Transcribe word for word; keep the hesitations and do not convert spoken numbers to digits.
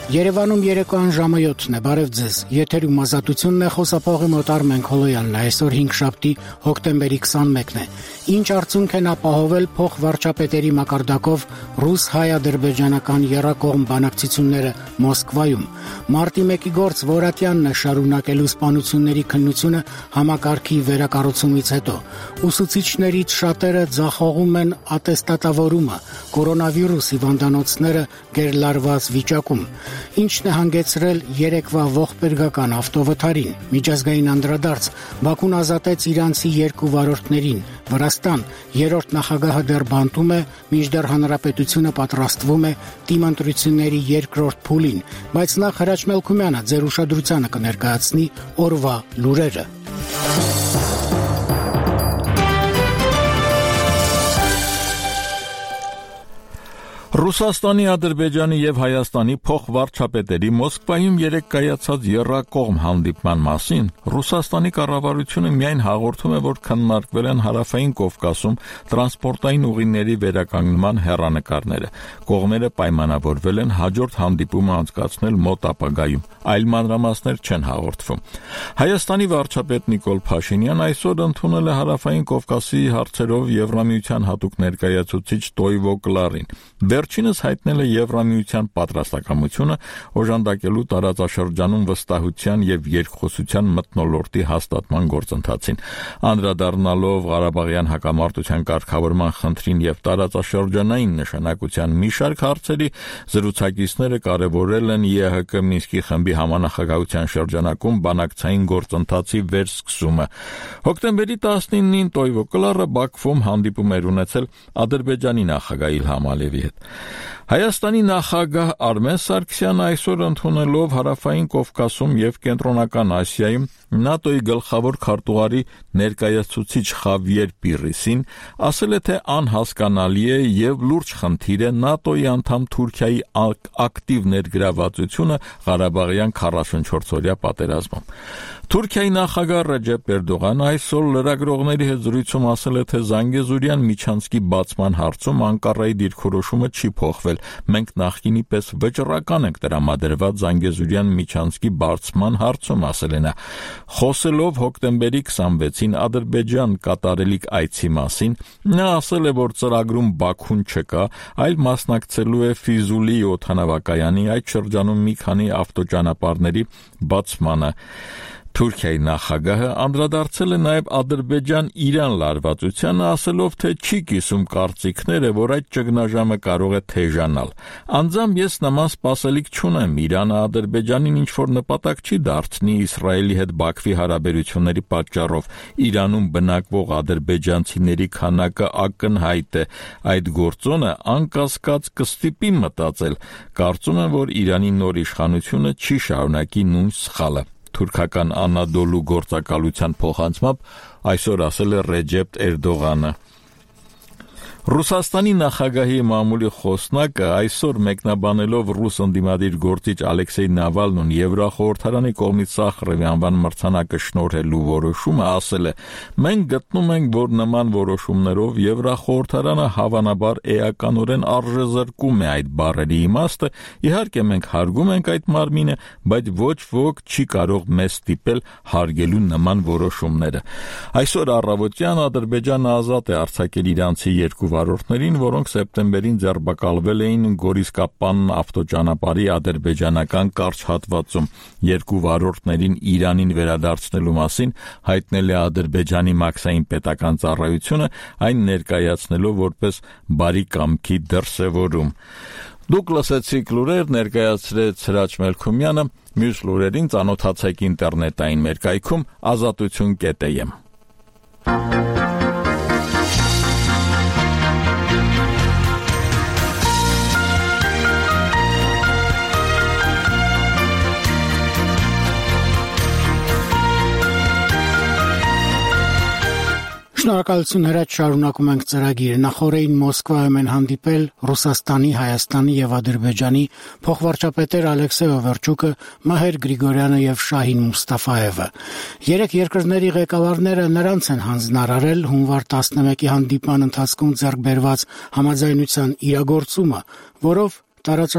Երևանում երեկոյան ժամը յոթն է, բարև ձեզ, եթերում ազատությունն է, խոսափողի մոտ Արմեն Քոլոյանն է, այսօր հինգշաբթի հոկտեմբերի քսանմեկն է, ինչ արդյունք են ապահովել փոխվարչապետերի մակարդակով ռուս-հայ-ադրբեջանական եռակողմ բանակցությունները Մոսկվայում, մարտի մեկի գործ Որատյանն է շարունակելու սպանությունների քննությունը համակարգի վերակառուցումից հետո, ուսուցիչներից շատերը ձախողում են ատեստատավորումը, կորոնավիրուս հիվանդանոցները գերլարված վիճակում, ինչն է հանգեցրել երեկվա ողբերգական ավտովթարին, միջազգային անդրադարձ, Բաքուն ազատեց իրանցի երկու վարորդներին, Վրաստան, երրորդ նախագահը դեռ բանտում է, մինչդեռ հանրապետությունը պատրաստվում է դիմընտրությունների երկրորդ փուլին, բայց նախ Հրաչ Մելքումյանը ձեր ուշադրությանը կներկայացնի օրվա լուրերը։ Ռուսաստանի, Ադրբեջանի և Հայաստանի փոխվարչապետերի Մոսկվայում երեկ կայացած եռակողմ հանդիպման մասին Ռուսաստանի կառավարությունը միայն հաղորդում է, որ քննարկվել են Հարավային Կովկասում տրանսպորտային ուղիների վերականգնման հեռանկարները։ Կողմերը պայմանավորվել են հաջորդ հանդիպումը անցկացնել մոտ ապագայում, այլ մանրամասներ չեն հաղորդվում։ Հայաստանի վարչապետ Նիկոլ Փաշինյան այսօր ընդունել է Հարավային Կովկասի հարցերով Եվրամիության հատուկ ներկայացուցիչ Տոյվո Կլարին։ Վերջինս հայտնել է Եվրամիության պատրաստակամությունը օժանդակելու տարածաշրջանում վստահության և երկխոսության մթնոլորտի հաստատման գործընթացին։ Անդրադառնալով Ղարաբաղյան հակամարտության կարգավորման խնդրին և տարածաշրջանային նշանակության մի շարք հարցերի, զրուցակիցները կարևորել են ԵՀԿ Մինսկի խմբի համանախագահության շրջանակում բանակցային գործընթացի վերսկսումը։ Հոկտեմբերի տասնինին Տոյվո Կլարը Բաքվում հանդիպում էր ունեցել Ադրբեջանի նախագահ Իլհամ Ալիևի հետ։ Հայաստանի նախագահ Արմեն Սարգսյանը այսօր ընդունելով Հարավային Կովկասում և Կենտրոնական Ասիայում ՆԱՏՕ-ի գլխավոր քարտուղարի ներկայացուցիչ Խավիեր Պիրիսին ասել է, թե անհասկանալի է և լուրջ խնդիր է ՆԱՏՕ-ի անդամ Թուրքիայի ակտիվ ներգրավվածությունը Ղարաբաղյան քառասունչորսօրյա պատերազմում։ Թուրքիայի նախագահ Ռեջեփ Էրդողանը այսօր լրագրողների հետ զրույցում ասել է, թե Զանգեզուրյան միջանցքի բացման հարցում Անկարայի դիրքորոշումը չի փոխվել։ Մենք նախկինի պես վճռական ենք տրամադրված Զանգեզուրյան միջանցքի բացման հարցում, ասել է նա։ Խոսելով հոկտեմբերի քսանվեցին Ադրբեջան կատարելիք այցի մասին, նա ասել է, որ ծրագրում Բաքուն չկա, այլ մասնակցելու է Ֆիզուլի օդանավակայանի այդ շրջանում մի քանի ավտոճանապարհների բացմանը։ Թուրքիայի նախագահը անդրադարձել է նաև Ադրբեջան-Իրան լարվածությանը, ասելով, թե չի կիսում կարծիքները, որ այդ ճգնաժամը կարող է թեժանալ։ Անձամբ ես նման սպասելիք չունեմ, Իրանը Ադրբեջանին ինչ-որ նպատակ չի դարձնի Իսրայելի հետ Բաքվի հարաբերությունների պատճառով։ Իրանում բնակվող ադրբեջանցիների քանակը ակնհայտ է։ Այդ գործոնը անկասկած կստիպի մտածել։ Կարծում եմ, որ Իրանի նոր իշխանությունը չի շարունակի նույն սխալը։ Թուրքական Անադոլու գործակալության փոխանցմամբ այսօր ասել է Ռեջեփ Էրդողանը։ Ռուսաստանի նախագահի մամուլի խոսնակը այսօր մեկնաբանելով ռուս ընդդիմադիր գործիչ Ալեքսեյ Նավալնուն Եվրախորհրդարանի կողմից Սախարովի անվան մրցանակը շնորհելու որոշումը ասել է. «Մենք գտնում ենք, որ նման որոշումներով Եվրախորհրդարանը հավանաբար էականորեն արժեզրկում է այդ բառերի իմաստը, իհարկե մենք հարգում ենք այդ մարմինը, բայց ոչ ոք չի կարող մեզ ստիպել հարգելու նման որոշումները»։ Այսօր առավոտյան Ադրբեջանը ազատ է արձակել իրանցի երկու վարորդներին, որոնք սեպտեմբերին ձերբակալվել էին Գորիսկապան ավտոճանապարհի ադրբեջանական կարճ հատվածում։ Երկու վարորդներին Իրանին վերադարձնելու մասին հայտնել է Ադրբեջանի մաքսային պետական ծառայությունը, այն ներկայացնելով որպես բարի կամքի դրսևորում։ Դուք լսեցիք լուրեր, ներկայացրեց Հրաչ Մելքումյանը, մյուս լուրերին ծանոթացեք ինտերնետային մեր կայքում ազատություն կետ էմ։ Շնորհակալություն Հրաչ, շարունակում ենք ծրագիրը։ Նախորդին Մոսկվայում են հանդիպել Ռուսաստանի, Հայաստանի եւ Ադրբեջանի փոխվարչապետեր Ալեքսեյ Օվերչուկը, Մահեր Գրիգորյանը եւ Շահին Մուստաֆաևը։ Երեք երկրների ղեկավարները նրանց են հանձնարարել հունվար տասնմեկի հանդիպման ընթացքում ձեռք բերված համաձայնության իրագործումը, որով տարածաշրջանում